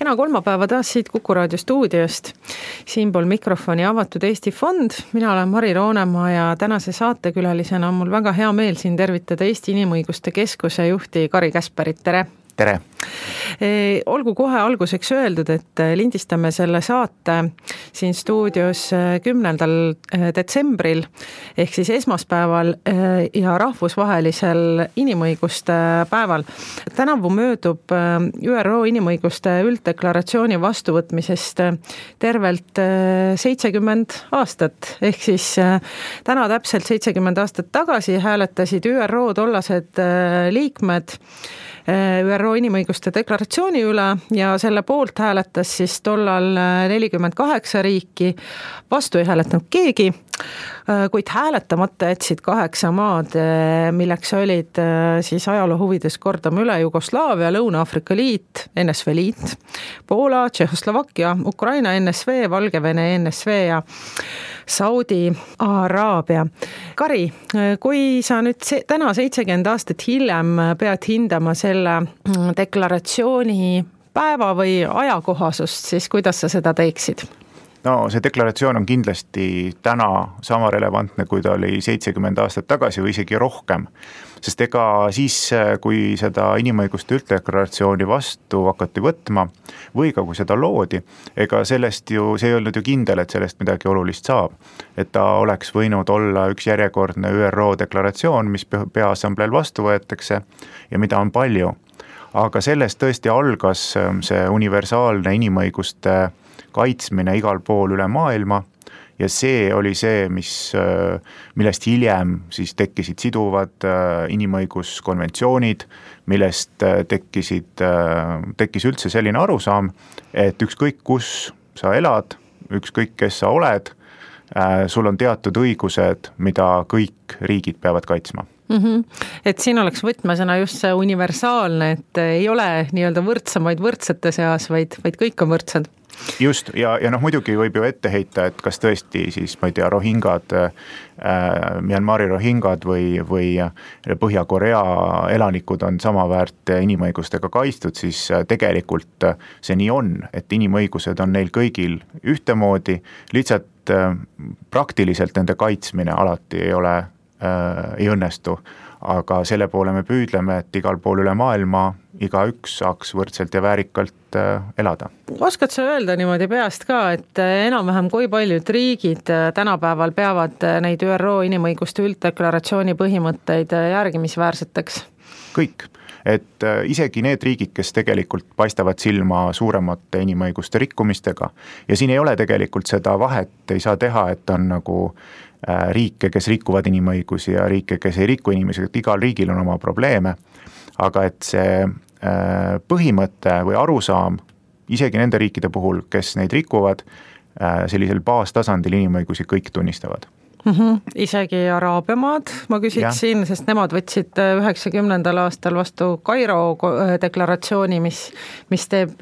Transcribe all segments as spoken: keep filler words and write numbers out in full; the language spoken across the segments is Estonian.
kena kolmapäeva taas siit Kuku raadio stuudiost. Siinpool mikrofoni Avatud Eesti Fond. Mina olen Mari Roonemaa ja tänase saatekülalisena on mul väga hea meel siin tervitada Eesti Inimõiguste Keskuse juhti Kari Käsperit. Tere! Tere! Olgu kohe alguseks öeldud, et lindistame selle saate siin stuudios kümnendal detsembril ehk siis esmaspäeval ja rahvusvahelisel inimõiguste päeval. Tänavu möödub Ü R O inimõiguste ülddeklaratsiooni vastuvõtmisest tervelt seitsekümmend aastat ehk siis täna täpselt seitsekümmend aastat tagasi hääletasid Ü R O tollased liikmed Ü R O inimõiguste deklaratsiooni üle ja selle poolt hääletas siis tollal nelikümmend kaheksa riiki, vastu ei hääletanud keegi, kuid hääletamata jätsid kaheksa maad, milleks olid siis ajaloo huvides kordame üle Jugoslaavia, Lõuna-Aafrika Liit, N S V Liit, Poola, Tšehhoslovakkia, Ukraina N S V, Valgevene N S V ja Saudi Araabia. Kari, kui sa nüüd se- täna seitsekümmend aastat hiljem pead hindama selle deklaratsiooni päeva või ajakohasust, siis kuidas sa seda teeksid? No see deklaratsioon on kindlasti täna sama relevantne, kui ta oli seitsekümmend aastat tagasi või isegi rohkem. Sest ega siis, kui seda inimõiguste ülddeklaratsiooni vastu hakati võtma või ka kui seda loodi, ega sellest ju, see ei olnud ju kindel, et sellest midagi olulist saab. Et ta oleks võinud olla üks järjekordne Ü R O deklaratsioon, mis peaassambleel vastu võetakse ja mida on palju. Aga sellest tõesti algas see universaalne inimõiguste kaitsmine igal pool üle maailma ja see oli see, mis, millest hiljem siis tekkisid siduvad inimõiguskonventsioonid, millest tekkisid, tekkis üldse selline arusaam, et ükskõik kus sa elad, ükskõik kes sa oled, sul on teatud õigused, mida kõik riigid peavad kaitsma. Mm-hmm. Et siin oleks võtmesõna just see universaalne, et ei ole nii-öelda võrdsamaid võrdsete seas, vaid, vaid kõik on võrdsed. Just, ja, ja noh, muidugi võib ju ette heita, et kas tõesti siis, ma ei tea, rohingad, äh, Myanmari rohingad või, või Põhja-Korea elanikud on samaväärt inimõigustega kaitstud, siis tegelikult see nii on, et inimõigused on neil kõigil ühtemoodi, lihtsalt äh, praktiliselt nende kaitsmine alati ei ole, äh, ei õnnestu. Aga selle poole me püüdleme, et igal pool üle maailma iga üks saaks võrdselt ja väärikalt elada. Oskad sa öelda niimoodi peast ka, et enam-vähem kui paljud riigid tänapäeval peavad neid Ü R O inimõiguste ülddeklaratsiooni põhimõtteid järgimisväärseteks? Kõik. Et isegi need riigid, kes tegelikult paistavad silma suuremate inimõiguste rikkumistega ja siin ei ole tegelikult seda vahet, ei saa teha, et on nagu riike, kes rikuvad inimõigusi ja riike, kes ei riku inimõigusi, et igal riigil on oma probleeme, aga et see põhimõte või arusaam isegi nende riikide puhul, kes neid rikuvad, sellisel baastasandil inimõigusi kõik tunnistavad. Mm-hmm. Isegi Araabia maad, ma küsiksin, sest nemad võtsid üheksakümnendal aastal vastu Kairo deklaratsiooni, mis, mis teeb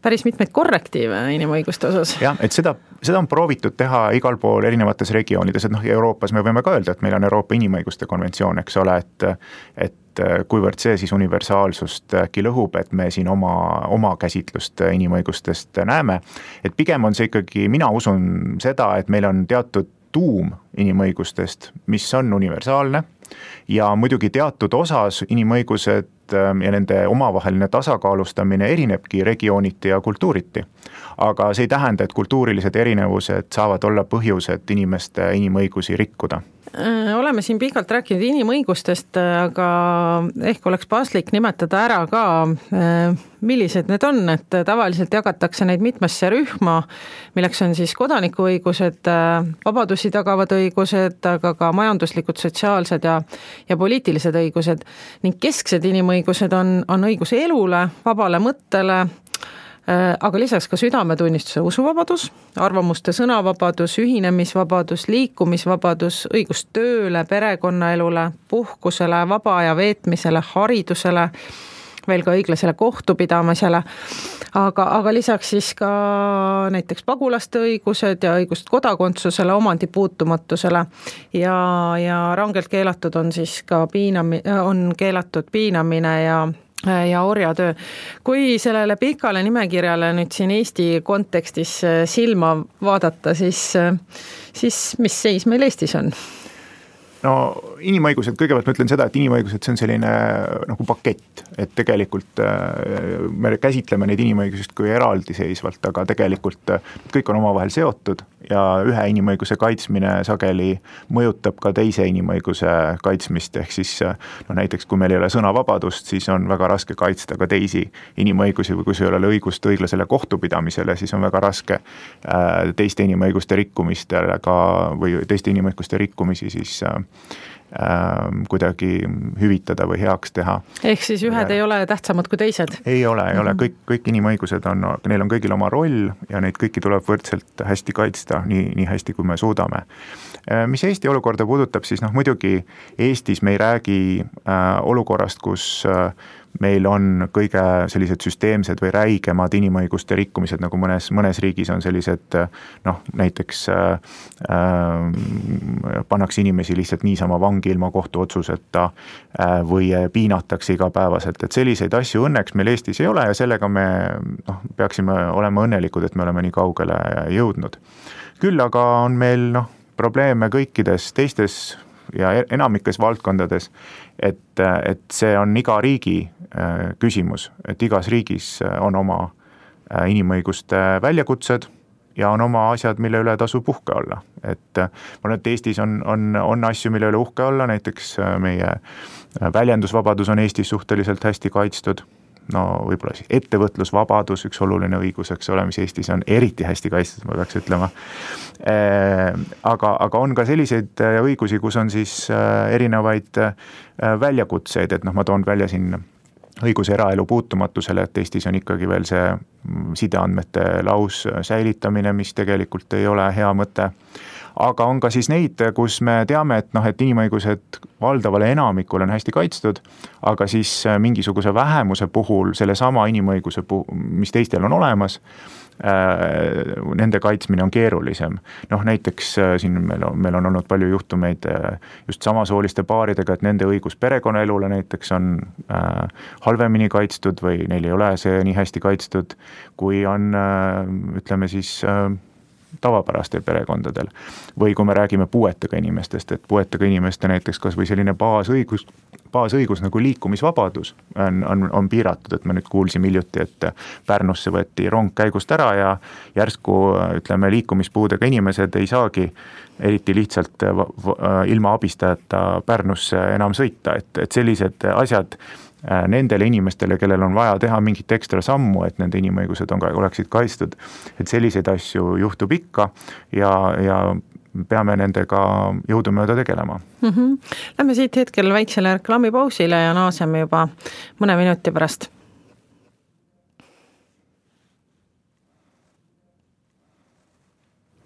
päris mitmeid korrektiive inimõiguste osas. Jah, et seda, seda on proovitud teha igal pool erinevates regioonides, et noh, Euroopas me võime ka öelda, et meil on Euroopa inimõiguste konventsioon, eks ole, et, et kuivõrd see siis universaalsust äkki lõhub, et me siin oma, oma käsitlust inimõigustest näeme, et pigem on see ikkagi, mina usun seda, et meil on teatud tuum inimõigustest, mis on universaalne ja muidugi teatud osas inimõigused ja nende omavaheline tasakaalustamine erinebki regiooniti ja kultuuriti. Aga see ei tähenda, et kultuurilised erinevused saavad olla põhjused inimeste inimõigusi rikkuda. Oleme siin pikalt rääkinud inimõigustest, aga ehk oleks paslik nimetada ära ka, millised need on, et tavaliselt jagatakse neid mitmesse rühma, milleks on siis kodanikuõigused, vabadusi tagavad õigused, aga ka majanduslikud, sotsiaalsed ja, ja poliitilised õigused ning kesksed inimõigused on, on õigus elule, vabale mõttele, aga lisaks ka südametunnistuse usuvabadus, arvamuste sõnavabadus, ühinemisvabadus, liikumisvabadus, õigus tööle, perekonnaelule, puhkusele, vaba aja veetmisele, haridusele, veel ka õiglasele kohtupidamisele, aga, aga lisaks siis ka näiteks pagulaste õigused ja õigust kodakondsusele, omandi puutumatusele ja, ja rangelt keelatud on siis ka piinami, on keelatud piinamine ja ja orjatöö. Kui sellele pikale nimekirjale nüüd siin Eesti kontekstis silma vaadata, siis, siis mis seis meil Eestis on? No inimõigused, kõigepealt ma ütlen seda, et inimõigused, see on selline nagu pakett, et tegelikult me käsitleme neid inimõigusest kui eraldiseisvalt, aga tegelikult kõik on omavahel seotud ja ühe inimõiguse kaitsmine sageli mõjutab ka teise inimõiguse kaitsmist, ehk siis no näiteks kui meil ei ole sõnavabadust, siis on väga raske kaitsta ka teisi inimõigusi või kui sul ei ole õigust õiglasele kohtupidamisele, siis on väga raske teiste inimõiguste rikkumistele ka või teiste inimõiguste rikkumisi siis kuidagi hüvitada või heaks teha. Ehk siis ühed ja, ei ole tähtsamad kui teised? Ei ole, ei ole, kõik, kõik inimõigused on, neil on kõigil oma roll ja neid kõiki tuleb võrdselt hästi kaitsta, nii, nii hästi kui me suudame. Mis Eesti olukorda puudutab, siis noh, muidugi Eestis me ei räägi olukorrast, kus meil on kõige sellised süsteemsed või räigemad inimõiguste rikkumised, nagu mõnes, mõnes riigis on sellised, noh, näiteks äh, pannakse inimesi lihtsalt niisama vangi ilma kohtuotsuseta äh, või piinatakse igapäevaselt, et selliseid asju õnneks meil Eestis ei ole ja sellega me noh, peaksime olema õnnelikud, et me oleme nii kaugele jõudnud. Küll aga on meil noh, probleeme kõikides teistes ja enamikes valdkondades, et, et see on iga riigi küsimus, et igas riigis on oma inimõiguste väljakutsed ja on oma asjad, mille üle tasub uhke olla. Et ma olen, et Eestis on, on, on asju, mille üle uhke olla, näiteks meie väljendusvabadus on Eestis suhteliselt hästi kaitstud, no võib-olla siis ettevõtlusvabadus, üks oluline õigus, eks ole, mis Eestis on eriti hästi kaitstud, ma peaks ütlema. Aga, aga on ka selliseid õigusi, kus on siis erinevaid väljakutseid, et noh, ma toon välja siin õiguse eraelu puutumatusele, et Eestis on ikkagi veel see sideandmete laus säilitamine, mis tegelikult ei ole hea mõte. Aga on ka siis neid, kus me teame, et, noh, et inimõigused valdavale enamikul on hästi kaitstud, aga siis mingisuguse vähemuse puhul, selle sama inimõiguse puhul, mis teistel on olemas, nende kaitsmine on keerulisem. Noh, näiteks siin meil on, meil on olnud palju juhtumeid just samasooliste paaridega, et nende õigus perekonnaelule näiteks on halvemini kaitstud või neil ei ole see nii hästi kaitstud, kui on, ütleme siis, tavapärastel perekondadel. Või kui me räägime puuetega inimestest, et puuetega inimeste näiteks kas või selline baasõigus, baasõigus nagu liikumisvabadus on, on, on piiratud, et me nüüd kuulsime hiljuti, et Pärnusse võeti rong käigust ära ja järsku, ütleme, liikumispuudega inimesed ei saagi eriti lihtsalt ilma abistajata Pärnusse enam sõita, et, et sellised asjad nendele inimestele, kellel on vaja teha mingit ekstra sammu, et nende inimõigused on, oleksid kaitstud, et selliseid asju juhtub ikka ja, ja peame nendega jõudumööda tegelema. Mm-hmm. Lähme siit hetkel väiksele reklaamipausile ja naaseme juba mõne minuti pärast.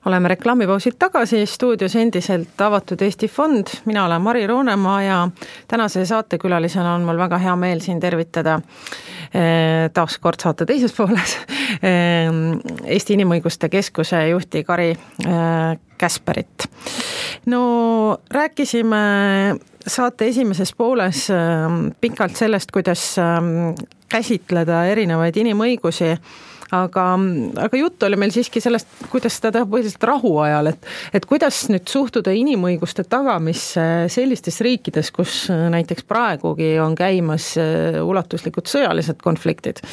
Oleme reklaamipausilt tagasi, stuudios endiselt avatud Eesti Fond, mina olen Mari Roonemaa ja tänase saatekülalisena on mul väga hea meel siin tervitada taas kord saate teises pooles Eesti Inimõiguste Keskuse juhti Kari Käsperit. No rääkisime saate esimeses pooles pikalt sellest, kuidas käsitleda erinevaid inimõigusi, Aga, aga jutt oli meil siiski sellest, kuidas seda teha põhiliselt rahuajal, et, et kuidas nüüd suhtuda inimõiguste tagamisse sellistes riikides, kus näiteks praegugi on käimas ulatuslikud sõjalised konfliktid?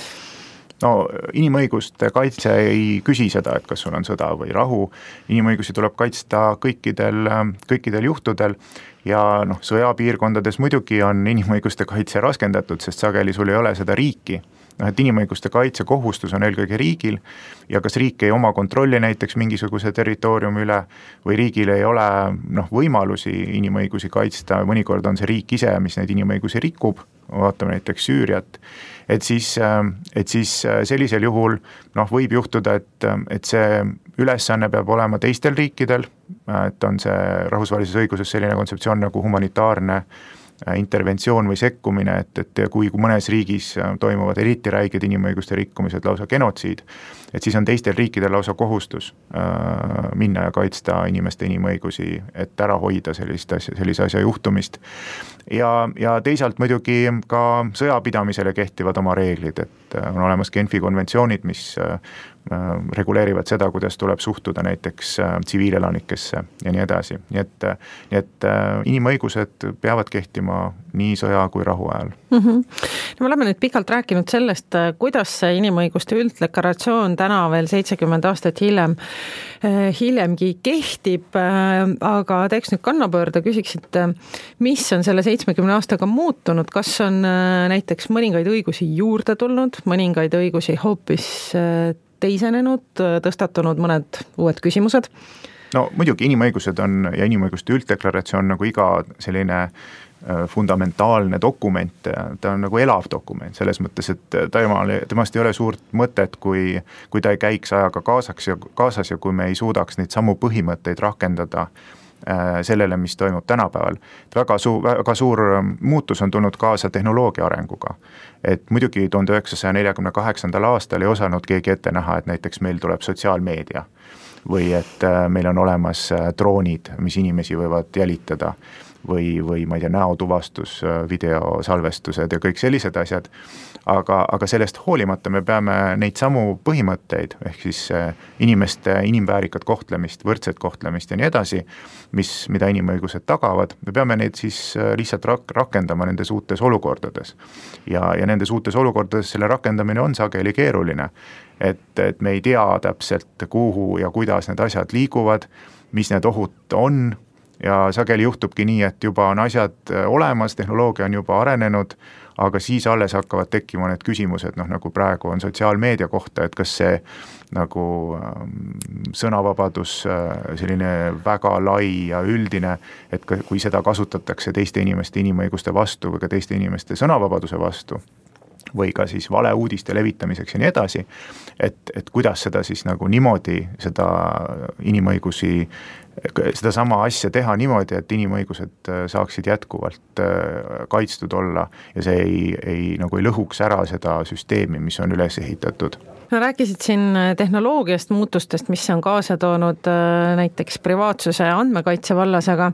No inimõiguste kaitse ei küsi seda, et kas sul on sõda või rahu. Inimõigusi tuleb kaitsta kõikidel, kõikidel juhtudel ja noh, sõjapiirkondades muidugi on inimõiguste kaitse raskendatud, sest sageli sul ei ole seda riiki. noh, et inimõiguste kaitse kohustus on eelkõige riigil ja kas riik ei oma kontrolli näiteks mingisuguse territooriumi üle või riigil ei ole noh, võimalusi inimõigusi kaitsta, mõnikord on see riik ise, mis neid inimõigusi rikub, vaatame näiteks Süüriat, et siis, et siis sellisel juhul noh, võib juhtuda, et, et see ülesanne peab olema teistel riikidel, et on see rahvusvahelises õiguses selline kontseptsioon nagu humanitaarne interventsioon või sekkumine, et, et kui mõnes riigis toimuvad eriti räiged inimõiguste rikkumised, lausa genotsiid, et siis on teistel riikidel lausa kohustus äh, minna ja kaitsta inimeste inimõigusi, et ära hoida sellist asja, sellise asja juhtumist. Ja, ja teisalt muidugi ka sõjapidamisele kehtivad oma reeglid, et on olemas Genfi konventsioonid, mis äh, reguleerivad seda, kuidas tuleb suhtuda näiteks äh, tsiviilelanikesse ja nii edasi. Nii et, nii et äh, inimõigused peavad kehtima nii sõja kui rahu ajal. Mm-hmm. No, me oleme nüüd pikalt rääkinud sellest, kuidas see inimõiguste ülddeklaratsioon täna veel seitsekümmend aastat hiljem, hiljemgi kehtib, aga teeks nüüd kannapöörde, küsiksid, mis on selle seitsmekümne aastaga muutunud, kas on näiteks mõningaid õigusi juurde tulnud, mõningaid õigusi hoopis teisenenud, tõstatunud mõned uued küsimused? No muidugi inimõigused on ja inimõiguste ülddeklaratsioon nagu iga selline fundamentaalne dokument, ta on nagu elav dokument selles mõttes, et temal, temast ei ole suurt mõtet, kui, kui ta ei käiks ajaga kaasaks ja, kaasas ja kui me ei suudaks neid samu põhimõtteid rakendada sellele, mis toimub tänapäeval. Väga, su, väga suur muutus on tulnud kaasa tehnoloogia arenguga. Et muidugi tuhande üheksasaja neljakümne kaheksandal aastal ei osanud keegi ette näha, et näiteks meil tuleb sotsiaalmeedia või et meil on olemas droonid, mis inimesi võivad jälitada või, või ma ei tea, näotuvastus, videosalvestused ja kõik sellised asjad. Aga, aga sellest hoolimata me peame neid samu põhimõtteid, ehk siis inimeste inimväärikat kohtlemist, võrdset kohtlemist ja nii edasi, mis, mida inimõigused tagavad, me peame neid siis lihtsalt rak- rakendama nendes uutes olukordades. Ja, ja nendes uutes olukordades selle rakendamine on sageli keeruline, et, et me ei tea täpselt, kuhu ja kuidas need asjad liiguvad, mis need ohud on, ja sageli juhtubki nii, et juba on asjad olemas, tehnoloogia on juba arenenud, aga siis alles hakkavad tekkima need küsimused, noh nagu praegu on sotsiaalmeedia kohta, et kas see nagu sõnavabadus selline väga lai ja üldine, et kui seda kasutatakse teiste inimeste inimõiguste vastu või ka teiste inimeste sõnavabaduse vastu, või ka siis valeuudiste levitamiseks ja nii edasi, et, et kuidas seda siis nagu niimoodi, seda inimõigusi, seda sama asja teha niimoodi, et inimõigused saaksid jätkuvalt kaitstud olla ja see ei, ei, nagu ei lõhuks ära seda süsteemi, mis on üles ehitatud. No rääkisid siin tehnoloogiast, muutustest, mis on kaasa toonud näiteks privaatsuse ja andmekaitse vallas, aga,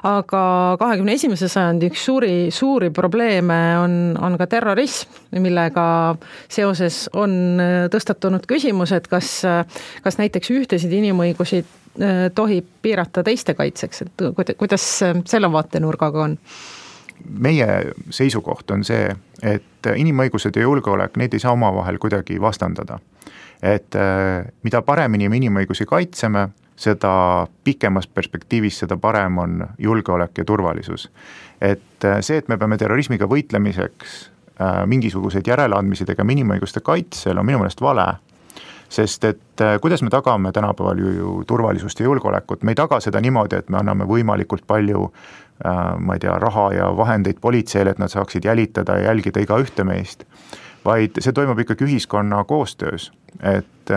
aga kahekümne esimese sajandi üks suuri, suuri probleeme on, on ka terrorism, millega seoses on tõstatunud küsimus, et kas, kas näiteks ühtesid inimõigusi tohib piirata teiste kaitseks, et kuidas selle vaatenurgaga on? Meie seisukoht on see, et inimõigused ja julgeolek, neid ei saa omavahel kuidagi vastandada. Et mida paremini me inimõigusi kaitseme, seda pikemas perspektiivis, seda parem on julgeolek ja turvalisus. Et see, et me peame terrorismiga võitlemiseks mingisuguseid järeleandmisi tegema inimõiguste kaitsel, on minu meelest vale. Sest et kuidas me tagame tänapäeval ju, ju turvalisust ja julgeolekut, me ei taga seda niimoodi, et me anname võimalikult palju ma ei tea, raha ja vahendeid politseile, et nad saaksid jälitada ja jälgida iga ühte meist, vaid see toimub ikkagi ühiskonna koostöös, et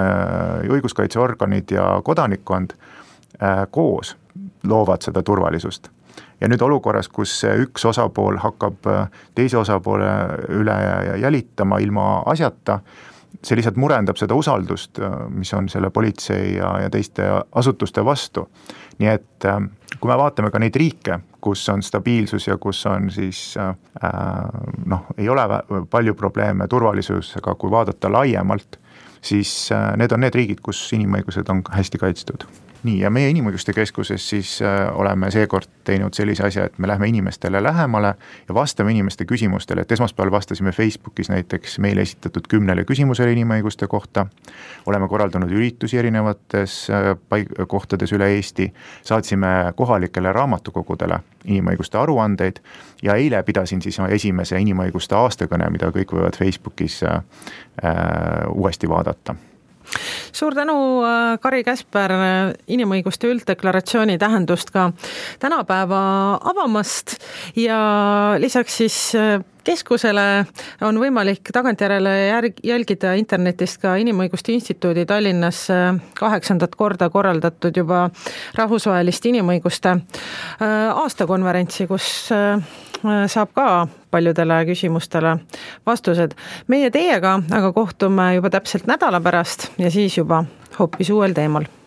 õiguskaitseorganid ja kodanikkond koos loovad seda turvalisust. Ja nüüd olukorras, kus üks osapool hakkab teise osapoole üle jälitama ilma asjata, see lihtsalt murendab seda usaldust, mis on selle politsei ja, ja teiste asutuste vastu. Nii et kui me vaatame ka neid riike, kus on stabiilsus ja kus on siis, äh, noh, ei ole palju probleeme turvalisusega, kui vaadata laiemalt, siis äh, need on need riigid, kus inimõigused on hästi kaitstud. Nii, ja meie Inimõiguste Keskuses siis äh, oleme seekord teinud sellise asja, et me lähme inimestele lähemale ja vastame inimeste küsimustele, et esmaspäeval vastasime Facebookis näiteks meile esitatud kümnele küsimusele inimõiguste kohta, oleme korraldanud üritusi erinevates äh, paik- kohtades üle Eesti, saatsime kohalikele raamatukogudele inimõiguste aruandeid ja eile pidasin siis esimese inimõiguste aastakõne, mida kõik võivad Facebookis äh, äh, uuesti vaadata. Suur tänu, Kari Käsper, inimõiguste ülddeklaratsiooni tähendust ka tänapäeva avamast ja lisaks siis keskusele on võimalik tagantjärele järg, jälgida internetist ka Inimõiguste Instituudi Tallinnas kaheksandat korda korraldatud juba rahvusvahelist inimõiguste aastakonverentsi, kus saab ka paljudele küsimustele vastused. Meie teiega aga kohtume juba täpselt nädala pärast ja siis juba hoopis uuel teemal.